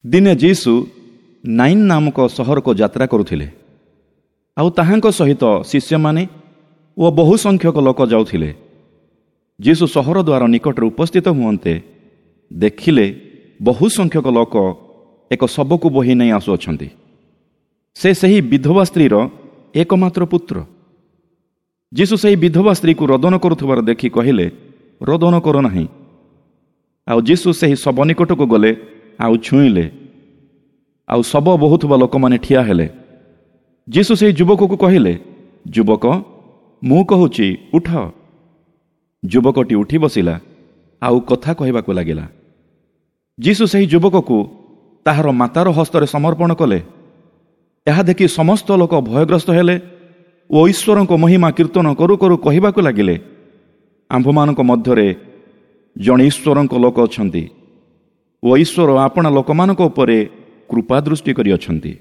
ଦିନେ ଯୀଶୁ ନାଇନ୍ ନାମକ ସହରକୁ ଯାତ୍ରା କରୁଥିଲେ, ଆଉ ତାହାଙ୍କ ସହିତ ଶିଷ୍ୟମାନେ ଓ ବହୁ ସଂଖ୍ୟକ ଲୋକ ଯାଉଥିଲେ। ଯୀଶୁ ସହର ଦ୍ୱାର ନିକଟରେ ଉପସ୍ଥିତ ହୁଅନ୍ତେ ଦେଖିଲେ ବହୁ ସଂଖ୍ୟକ ଲୋକ ଏକ ଶବକୁ ବୋହି ନେଇ ଆସୁଅଛନ୍ତି। ସେ ସେହି ବିଧବା ସ୍ତ୍ରୀର ଏକମାତ୍ର ପୁତ୍ର। ଯୀଶୁ ସେହି ବିଧବା ସ୍ତ୍ରୀକୁ ରୋଦନ କରୁଥିବାର ଦେଖି କହିଲେ, ରୋଦନ କର ନାହିଁ। ଆଉ ଯୀଶୁ ସେହି ଶବ ନିକଟକୁ ଗଲେ ଆଉ ଛୁଇଁଲେ, ଆଉ ଶବ ବୋହୁଥିବା ଲୋକମାନେ ଠିଆ ହେଲେ। ଯୀଶୁ ସେହି ଯୁବକକୁ କହିଲେ, ଯୁବକ, ମୁଁ କହୁଛି ଉଠ। ଯୁବକଟି ଉଠି ବସିଲା ଆଉ କଥା କହିବାକୁ ଲାଗିଲା। ଯୀଶୁ ସେହି ଯୁବକକୁ ତାହାର ମାତାର ହସ୍ତରେ ସମର୍ପଣ କଲେ। ଏହା ଦେଖି ସମସ୍ତ ଲୋକ ଭୟଗ୍ରସ୍ତ ହେଲେ ଓ ଈଶ୍ୱରଙ୍କ ମହିମା କୀର୍ତ୍ତନ କରୁ କରୁ କହିବାକୁ ଲାଗିଲେ, ଆମ୍ଭମାନଙ୍କ ମଧ୍ୟରେ ଜଣେ ଈଶ୍ୱରଙ୍କ ଲୋକ ଅଛନ୍ତି ଓ ଈଶ୍ୱର ଆପଣା ଲୋକମାନଙ୍କ ଉପରେ କୃପା ଦୃଷ୍ଟି କରିଅଛନ୍ତି।